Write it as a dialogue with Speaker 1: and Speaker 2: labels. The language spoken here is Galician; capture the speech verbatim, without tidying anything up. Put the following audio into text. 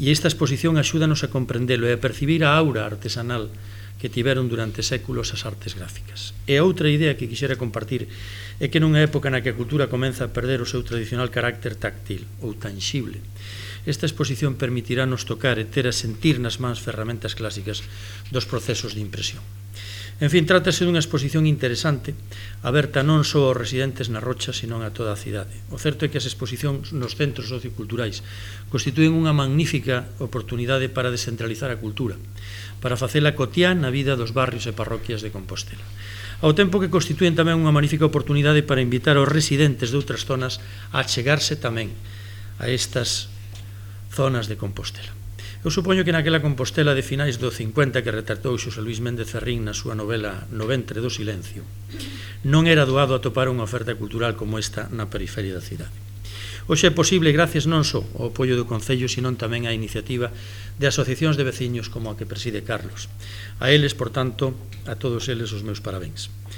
Speaker 1: E esta exposición axúdanos a comprendelo e a percibir a aura artesanal que tiveron durante séculos as artes gráficas. E outra idea que quixera compartir é que nunha época na que a cultura comeza a perder o seu tradicional carácter táctil ou tangible, esta exposición permitirános tocar e ter a sentir nas mans ferramentas clásicas dos procesos de impresión. En fin, trátase dunha exposición interesante, aberta non só aos residentes na Rocha, senón a toda a cidade. O certo é que as exposicións nos centros socioculturais constitúen unha magnífica oportunidade para descentralizar a cultura, para facela cotián na vida dos barrios e parroquias de Compostela. Ao tempo que constitúen tamén unha magnífica oportunidade para invitar aos residentes de outras zonas a chegarse tamén a estas zonas de Compostela. Eu supoño que naquela Compostela de finais do cincuenta que retratou Xosé Luís Méndez Ferrín na súa novela No ventre do silencio, non era doado atopar unha oferta cultural como esta na periferia da cidade. Hoxe é posible gracias non só ao apoio do Concello, senón tamén á iniciativa de asociacións de veciños como a que preside Carlos. A eles, por tanto, a todos eles os meus parabéns.